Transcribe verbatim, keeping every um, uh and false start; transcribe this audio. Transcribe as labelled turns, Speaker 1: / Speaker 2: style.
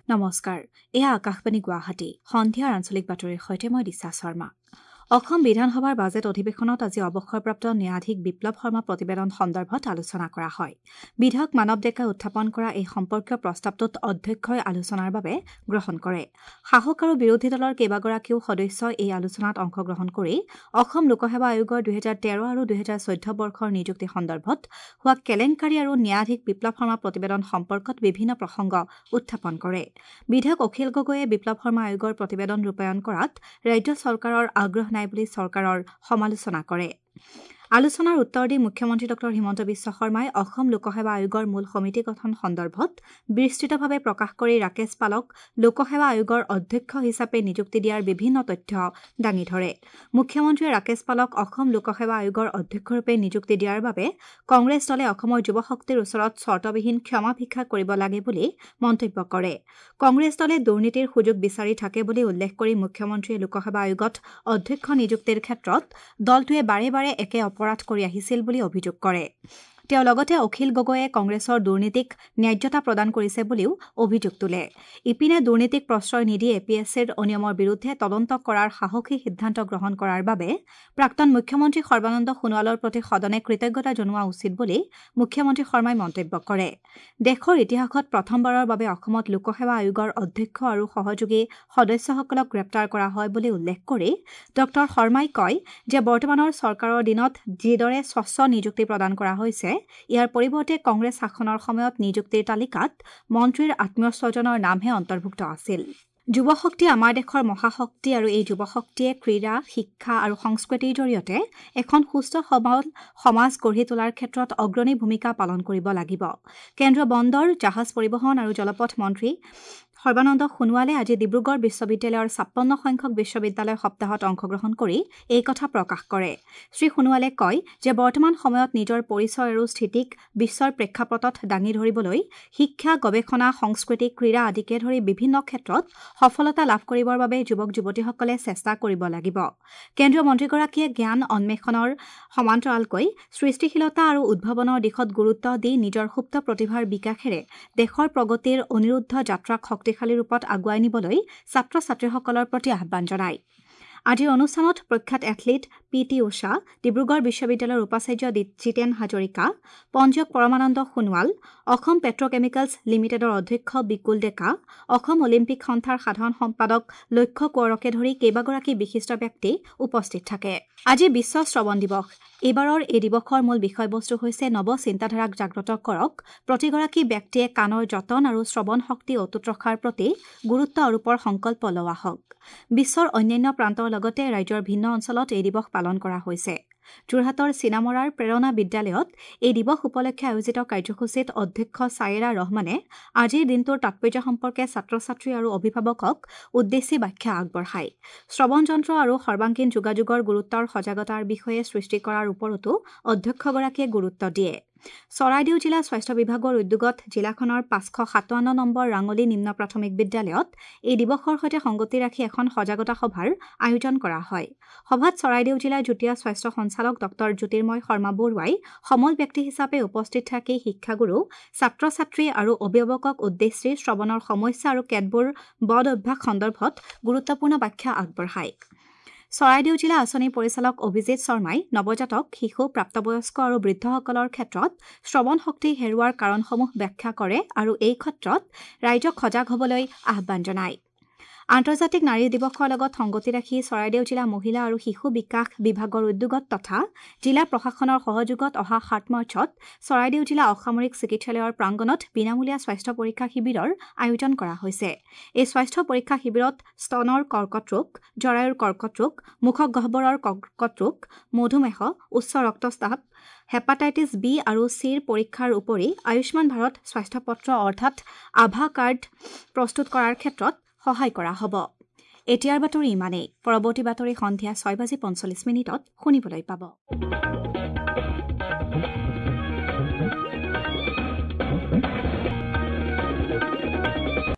Speaker 1: নমস্কাৰ, এয়া আকাশবাণী গুৱাহাটী। সন্ধিয়াৰ আঞ্চলিক বাতৰিৰ সৈতে মই দিশা শৰ্মা। অসম বিধানসভাৰ বাজেট অধিৱেশনত আজি অৱসৰপ্ৰাপ্ত ন্যায়াধীশ বিপ্লৱ শৰ্মা প্ৰতিবেদন সন্দৰ্ভত আলোচনা কৰা হয়। বিধায়ক মানৱ ডেকাই উত্থাপন কৰা এই সম্পৰ্কীয় প্ৰস্তাৱটোত অধ্যক্ষই আলোচনাৰ বাবে গ্ৰহণ কৰে। শাসক আৰু বিৰোধী দলৰ কেইবাগৰাকীও সদস্যই এই আলোচনাত অংশগ্ৰহণ কৰি অসম লোকসেৱা আয়োগৰ দুহেজাৰ তেৰ আৰু দুহেজাৰ চৈধ্য বৰ্ষৰ নিযুক্তি সন্দৰ্ভত হোৱা কেলেংকাৰী আৰু ন্যায়াধীশ বিপ্লৱ শৰ্মা প্ৰতিবেদন সম্পৰ্কত বিভিন্ন প্ৰসংগ উত্থাপন কৰে। বিধায়ক অখিল গগৈয়ে বিপ্লৱ শৰ্মা আয়োগৰ প্ৰতিবেদন ৰূপায়ণ কৰাত ৰাজ্য চৰকাৰৰ আগ্ৰহ নাই বুলি চৰকাৰৰ সমালোচনা কৰে। আলোচনাৰ উত্তৰ দি মুখ্যমন্ত্ৰী ডঃ হিমন্ত বিশ্ব শৰ্মাই অসম লোকসেৱা আয়োগৰ মূল সমিতি গঠন সন্দৰ্ভত বিস্তৃতভাৱে প্ৰকাশ কৰি ৰাকেশ পালক লোকসেৱা আয়োগৰ অধ্যক্ষ হিচাপে নিযুক্তি দিয়াৰ বিভিন্ন তথ্য দাঙি ধৰে। মুখ্যমন্ত্ৰীয়ে ৰাকেশ পালক অসম লোকসেৱা আয়োগৰ অধ্যক্ষৰূপে নিযুক্তি দিয়াৰ বাবে কংগ্ৰেছ দলে অসমৰ যুৱশক্তিৰ ওচৰত চৰ্তবিহীন ক্ষমা ভিক্ষা কৰিব লাগে বুলি মন্তব্য কৰে। কংগ্ৰেছ দলে দুৰ্নীতিৰ সুযোগ বিচাৰি থাকে বুলি উল্লেখ কৰি মুখ্যমন্ত্ৰীয়ে লোকসেৱা আয়োগত অধ্যক্ষ নিযুক্তিৰ ক্ষেত্ৰত দলটোৱে বাৰে বাৰে একে অপৰাধ কৰি আহিছিল বুলি অভিযোগ কৰে। তেওঁ লগতে অখিল গগৈয়ে কংগ্ৰেছৰ দুৰ্নীতিক ন্যায্যতা প্ৰদান কৰিছে বুলিও অভিযোগ তোলে। ইপিনে দুৰ্নীতিক প্ৰশ্ৰয় নিদি এ পি এছ চিৰ অনিয়মৰ বিৰুদ্ধে তদন্ত কৰাৰ সাহসী সিদ্ধান্ত গ্ৰহণ কৰাৰ বাবে প্ৰাক্তন মুখ্যমন্ত্ৰী সৰ্বানন্দ সোণোৱালৰ প্ৰতি সদনে কৃতজ্ঞতা জনোৱা উচিত বুলি মুখ্যমন্ত্ৰী শৰ্মাই মন্তব্য কৰে। দেশৰ ইতিহাসত প্ৰথমবাৰৰ বাবে অসমত লোকসেৱা আয়োগৰ অধ্যক্ষ আৰু সহযোগী সদস্যসকলক গ্ৰেপ্তাৰ কৰা হয় বুলি উল্লেখ কৰি ডঃ শৰ্মাই কয় যে বৰ্তমানৰ চৰকাৰৰ দিনত যিদৰে স্বচ্ছ নিযুক্তি প্ৰদান কৰা হৈছে, ইয়াৰ পৰিৱৰ্তে কংগ্ৰেছ শাসনৰ সময়ত নিযুক্তিৰ তালিকাত মন্ত্ৰীৰ আত্মীয় স্বজনৰ নামহে অন্তৰ্ভুক্ত আছিল। যুৱশক্তি আমাৰ দেশৰ মহাশক্তি আৰু এই যুৱশক্তিয়ে ক্ৰীড়া, শিক্ষা আৰু সংস্কৃতিৰ জৰিয়তে এখন সুস্থ সবল সমাজ গঢ়ি তোলাৰ ক্ষেত্ৰত অগ্ৰণী ভূমিকা পালন কৰিব লাগিব। কেন্দ্ৰীয় বন্দৰ, জাহাজ পৰিবহণ আৰু জলপথ মন্ত্ৰী সৰ্বানন্দ সোণোৱালে আজি ডিব্ৰুগড় বিশ্ববিদ্যালয়ৰ ছাপন্ন সংখ্যক বিশ্ববিদ্যালয় সপ্তাহত অংশগ্ৰহণ কৰি এই কথা প্ৰকাশ কৰে। শ্ৰী সোণোৱালে কয় যে বৰ্তমান সময়ত নিজৰ পৰিচয় আৰু স্থিতিক বিশ্বৰ প্ৰেক্ষাপটত দাঙি ধৰিবলৈ শিক্ষা, গৱেষণা, সংস্কৃতি, ক্ৰীড়া আদিকে ধৰি বিভিন্ন ক্ষেত্ৰত সফলতা লাভ কৰিবৰ বাবে যুৱক যুৱতীসকলে চেষ্টা কৰিব লাগিব। কেন্দ্ৰীয় মন্ত্ৰীগৰাকীয়ে জ্ঞান অন্বেষণৰ সমান্তৰালকৈ সৃষ্টিশীলতা আৰু উদ্ভাৱনৰ দিশত গুৰুত্ব দি নিজৰ সুপ্ত প্ৰতিভাৰ বিকাশেৰে দেশৰ প্ৰগতিৰ অনিৰুদ্ধ যাত্ৰাক শক্তি শক্তিশালী ৰূপত আগুৱাই নিবলৈ ছাত্ৰ ছাত্ৰীসকলৰ প্ৰতি আহ্বান জনায়। আজিৰ অনুষ্ঠানত প্ৰখ্যাত athlete P T Usha, Dibrugarh বিশ্ববিদ্যালয়ৰ উপাচাৰ্য জিতেন হাজৰিকা, পঞ্জীয়ক পৰমানন্দ সোণোৱাল, অসম পেট্ৰকেমিকেলছ লিমিটেডৰ অধ্যক্ষ বিকুল ডেকা, অসম অলিম্পিক সন্থাৰ সাধাৰণ সম্পাদক লক্ষ্য কোঁৱৰকে ধৰি কেইবাগৰাকী বিশিষ্ট ব্যক্তি উপস্থিত থাকে। আজি বিশ্ব শ্ৰৱণ দিৱস। এইবাৰৰ এই দিৱসৰ মূল বিষয়বস্তু হৈছে নৱ চিন্তাধাৰাক জাগ্ৰত কৰক, প্ৰতিগৰাকী ব্যক্তিয়ে কাণৰ যতন আৰু শ্ৰৱণ শক্তি অটুট ৰখাৰ প্ৰতি গুৰুত্ব আৰোপৰ সংকল্প লোৱা হওক। বিশ্বৰ অন্যান্য প্ৰান্তৰ লগতে ৰাজ্যৰ ভিন্ন অঞ্চলত এই দিৱস পালন কৰা হৈছে। যোৰহাটৰ চিনামৰাৰ প্ৰেৰণা বিদ্যালয়ত এই দিৱস উপলক্ষে আয়োজিত কাৰ্যসূচীত অধ্যক্ষ ছায়েৰা ৰহমানে আজিৰ দিনটোৰ তাৎপৰ্য সম্পৰ্কে ছাত্ৰ ছাত্ৰী আৰু অভিভাৱকক উদ্দেশ্যি ব্যাখ্যা আগবঢ়ায়। শ্ৰৱণ যন্ত্ৰ আৰু সৰ্বাংগীন যোগাযোগৰ গুৰুত্বৰ সজাগতাৰ বিষয়ে সৃষ্টি কৰাৰ ওপৰতো অধ্যক্ষগৰাকীয়ে গুৰুত্ব দিয়ে। চৰাইদেউ জিলা স্বাস্থ্য বিভাগৰ উদ্যোগত জিলাখনৰ পাঁচশ সাতাৱন্ন নম্বৰ ৰাঙলী নিম্ন প্ৰাথমিক বিদ্যালয়ত এই দিৱসৰ সৈতে সংগতি ৰাখি এখন সজাগতা সভাৰ আয়োজন কৰা হয়। সভাত চৰাইদেউ জিলাৰ যুটীয়া স্বাস্থ্য সঞ্চালক ডঃ জ্যোতিৰ্ময় শৰ্মা বৰুৱাই সমল ব্যক্তি হিচাপে উপস্থিত থাকি শিক্ষাগুৰু, ছাত্ৰ ছাত্ৰী আৰু অভিভাৱকক উদ্দেশ্যি শ্ৰৱণৰ সমস্যা আৰু কেতবোৰ বদ অভ্যাস সন্দৰ্ভত গুৰুত্বপূৰ্ণ ব্যাখ্যা আগবঢ়ায়। চৰাইদেউ জিলা আঁচনি পৰিচালক অভিজিত শৰ্মাই নৱজাতক, শিশু, প্ৰাপ্তবয়স্ক আৰু বৃদ্ধসকলৰ ক্ষেত্ৰত শ্ৰৱণ শক্তি হেৰুৱাৰ কাৰণসমূহ ব্যাখ্যা কৰে আৰু এই ক্ষেত্ৰত ৰাইজক সজাগ হ'বলৈ আহ্বান জনায়। আন্তৰ্জাতিক নাৰী দিৱসৰ লগত সংগতি ৰাখি চৰাইদেউ জিলা মহিলা আৰু শিশু বিকাশ বিভাগৰ উদ্যোগত তথা জিলা প্ৰশাসনৰ সহযোগত অহা সাত মাৰ্চত চৰাইদেউ জিলা অসামৰিক চিকিৎসালয়ৰ প্ৰাংগণত বিনামূলীয়া স্বাস্থ্য পৰীক্ষা শিবিৰৰ আয়োজন কৰা হৈছে। এই স্বাস্থ্য পৰীক্ষা শিবিৰত স্তনৰ কৰ্কট ৰোগ, জৰায়ুৰ কৰ্কট ৰোগ, মুখগহ্বৰৰ কৰ্কট ৰোগ, মধুমেহ, উচ্চ ৰক্তচাপ, হেপাটাইটিছ বি আৰু চিৰ পৰীক্ষাৰ উপৰি আয়ুষ্মান ভাৰত স্বাস্থ্য পত্ৰ অৰ্থাৎ আভা কাৰ্ড প্ৰস্তুত কৰাৰ ক্ষেত্ৰত সহায় কৰা হ'ব। এতিয়াৰ বাতৰি ইমানেই। পৰৱৰ্তী বাতৰি সন্ধিয়া ছয় বাজি পঞ্চল্লিছ মিনিটত শুনিবলৈ পাব।